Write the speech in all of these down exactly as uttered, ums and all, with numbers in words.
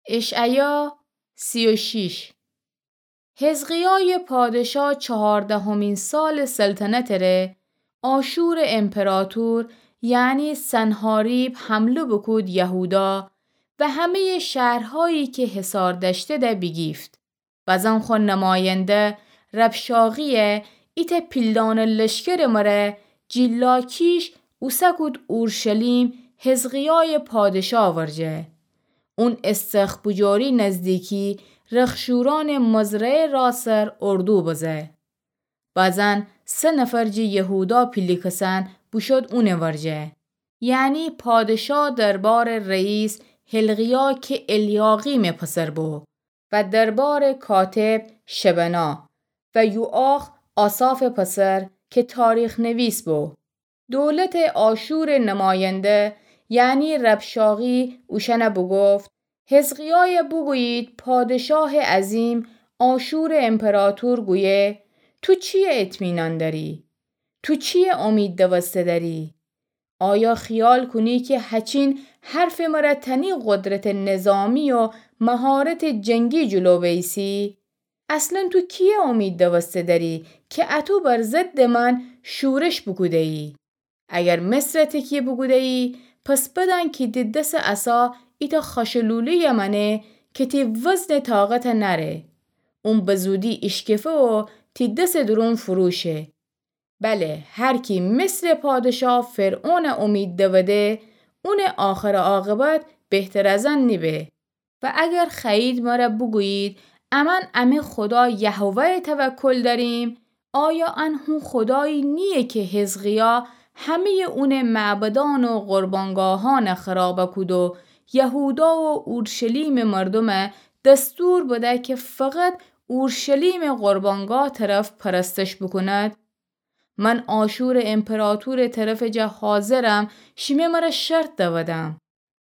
اشعیا سی و شش. حزقیای پادشا چهاردهمین سال سلطنت ره، آشور امپراطور، یعنی سنحاریب، حمله بوکود یهودا و همه‌ی شهرهایی که حصار دأشته ده بیگیفت. بزن خو نماینده ربشاقیه ایتأ پیلدانه لشکرٚ مره جی لاکیش اوسه کود اورشلیم حزقیای پادشا ورجه. اون استخر بجوری نزدیکی رخشورانٚ مزرعه راسر اردو بزه. بزن سه نفر جی یهودا پیله کسن بوشود اونٚ ورجه. یعنی پادشا دربارٚ رئیس حلقیا که الیاقیمٚ پسر بو و دربارٚ کاتب شبنا و یوآخ آسافٚ پسر که تاریخ‌نویس بو. دولتٚ آشورٚ نماینده، یعنی ربشاقی، اوشأن بوگفت: حزقیای بوگویید پادشاه عظیم، آشورٚ امپراطور گویه: تو چیه اطمینان دأری؟ تو چیه امید دوسته دأری؟ آیا خیال کونی که هچین حرفٚ مره تنی قدرتٚ نظامی و مهارتٚ جنگی جلو بیسی؟ اصلاً تو کیه امید دوسته دأری که اتو بر ضدٚ من شورش بوکوده‌یی؟ اگر مصر تکیه بوکوده‌یی، پس بدأن کی تی دسٚ عصا ایتأ خاشلوله‌یٚ مأنه که تی وزنٚ طاقت نأره. اون بزودی ایشکفه و تی دسٚ دورون فروشه. بله، هر کی مصرٚ پادشا فرعون امید دوده، اونٚ آخر عاقبت بهتر از ان نیبه. و اگر خوأیید مره بوگویید امأن امه خدا یهوه توکل دأریم، آیا ان هو خدایی نییه که حزقیا همه‌یٚ اونٚ معبدأن و قربانگاهأن خراب کود و یهودا و اورشلیمٚ مردوم دستور بده که فقط اورشلیمٚ قربانگاه طرف پرستش بوکوند؟ من آشورٚ امپراطورٚ طرفٚ جا حاضرم، شیمه مره شرط دودم.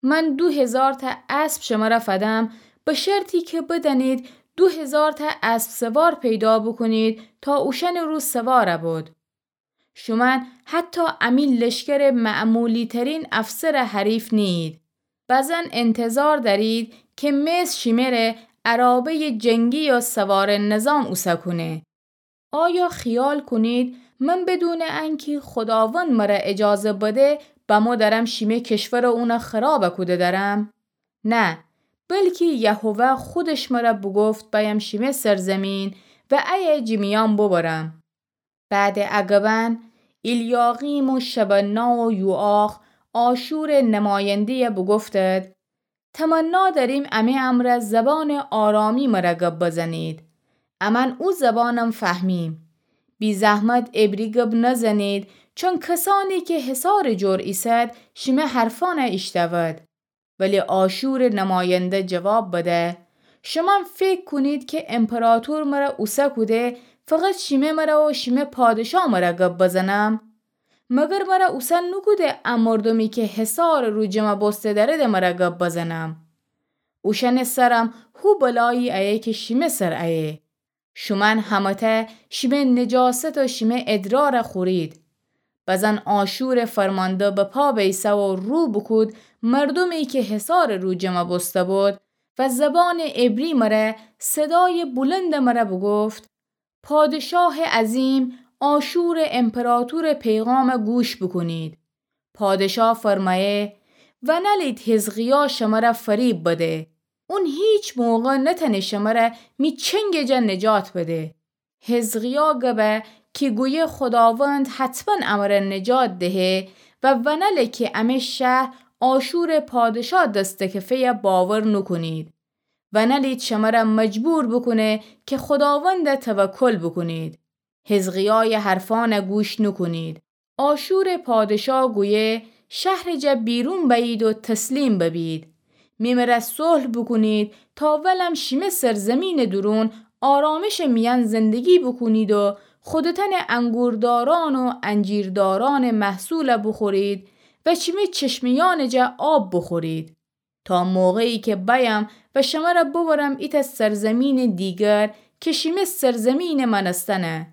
من دو هیزارتأ اسب شمره فدم، به شرطی که بدأنید دو هیزارتأ اسب‌سوار پیدا بوکونید تا اوشأنٚ رو سوار بود. شومأن حتی امی لشکرٚ معمولی‌ترین افسر حریف نییید. بزن انتظار دأرید که مصر شیمه ره عرابه‌یٚ جنگی یا سوارٚ نظام اوسه کونه. آیا خیال کونید من بدونٚ انکی خداوند مره اجازه بده بمو درم شیمه کشور و اون خراب کوده درم؟ نه، بلکی یهوه خودش مره بوگفت بأیم شیمه سرزمین و ایه جی میأن ببرم. بعدٚ ا گبأن ایلیاقیم و شبنا و یوآخ آشورٚ نماینده‌یه بوگفتد: تمنا دأریم امه امرأ زبانٚ آرامی مره گب بزنید. امأن او زبانم فهمیم. بی‌زحمت عبری گب نزنید، چون کسأنی که حصارٚ جور ایسد شیمه حرفأنه ایشتأود. ولی آشورٚ نماینده جواب بده: شومأن فکر کونید که امپراطور مره اوسه کوده فقط شیمه مره و شیمه پادشا مره گب بزنم؟ مگر مره اوسه نوکوده ا مردومی که حصارٚ رو جمع بوسته دأرده مره گب بزنم؟ اوشأنٚ سرم هو بلایی ایه که شیمه سر ایه. شومأن همه‌تأ شیمه نجاست و شیمه ادرار خورید. بزن آشورٚ فرمانده به پا بیسه و رو بوکود مردومی که حصارٚ رو جمع بوسته بود و زبانٚ عبری مره صدایٚ بلند مره بوگفت: پادشاه عظیم، آشورٚ امپراطورٚ پیغام گوش بوکونید. پادشا فرمأیه: ونلید حزقیا شمره فریب بده. اون هیچ موقع نتأنه شمره می چنگٚ جا نجات بده. حزقیا گبه کی گویه خداوند حتماً امره نجات دهه و ونله کی امه شهر آشورٚ پادشا دستٚ کفه‌یه باور نوکونید. ونلید شمره مجبور بوکونه که خداوند توکل بوکونید. حزقیایٚ حرفأنه گوش نوکونید. آشورٚ پادشا گویه شهرٚ جا بیرون بأیید و تسلیم ببید. می مره صلح بوکونید تا ولم شیمه سرزمینٚ دورون آرامشٚ میأن زندگی بوکونید و خودتأنٚ انگوردارأن و انجیردارأنٚ محصول بوخورید و شیمه چشمه‌یأنٚ جا آب بوخورید. تا موقعی که بأیم و شمره ببرم ایتأ سرزمینٚ دیگر که شیمه سرزمینٚ مأنستنه،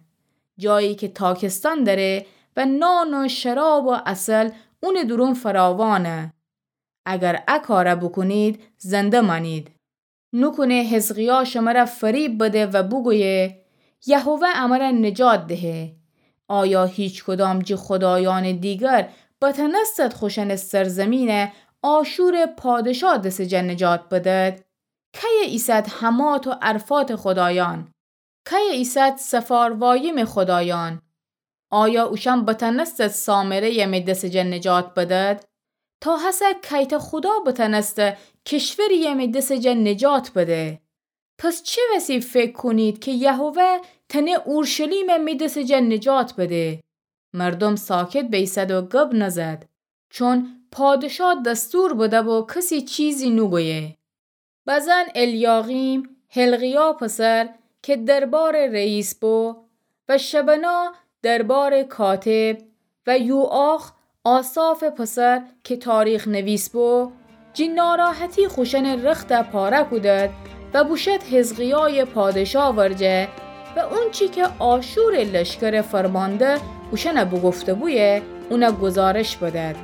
جایی که تاکستان دأره و نان و شراب و عسل اونٚ دورون فراوانه. اگر ا کاره بوکونید، زنده مأنید. نوکونه حزقیا شمر فریب بده و بوگویه، یهوه امر نجات دهه. آیا هیچکدام جی خدایأنٚ دیگر بتأنستد خوشأنٚ سرزیمین آشورٚ پادشا دسٚ جا نجات بدد؟ کیه ایسد حمات و ارفاتٚ خدایأن؟ کیه ایسد سفاروایم خدایأن؟ آیا اوشأن بتأنستد سامره‌یه می دسٚ جا نجات بدد؟ تا هسه کیته خدا بتأنسته کشوریه می دسٚ جا نجات بده؟ پس چه وسی فکر کونید کی یهوه تأنه اورشلیمه می دسٚ جا نجات بده؟ مردوم ساکت بیسد و گب نزد، چون پادشا دستور بده‌بو کسی چیزی نوگویه. بزن الیاقیم، حلقیا پسر، کی دربارٚ رئیس بو، و شبنا دربارٚ کاتب، و یوآخ، آسافٚ پسر، کی تاریخ‌نویس بو، جی ناراحتی خوشأنٚ رخت پاره کودد و بوشد حزقیایٚ پادشا ورجه و اونچی کی آشورٚ لشکرٚ فرمانده اوشأن بوگفته‌بویه، اون گزارش بدد.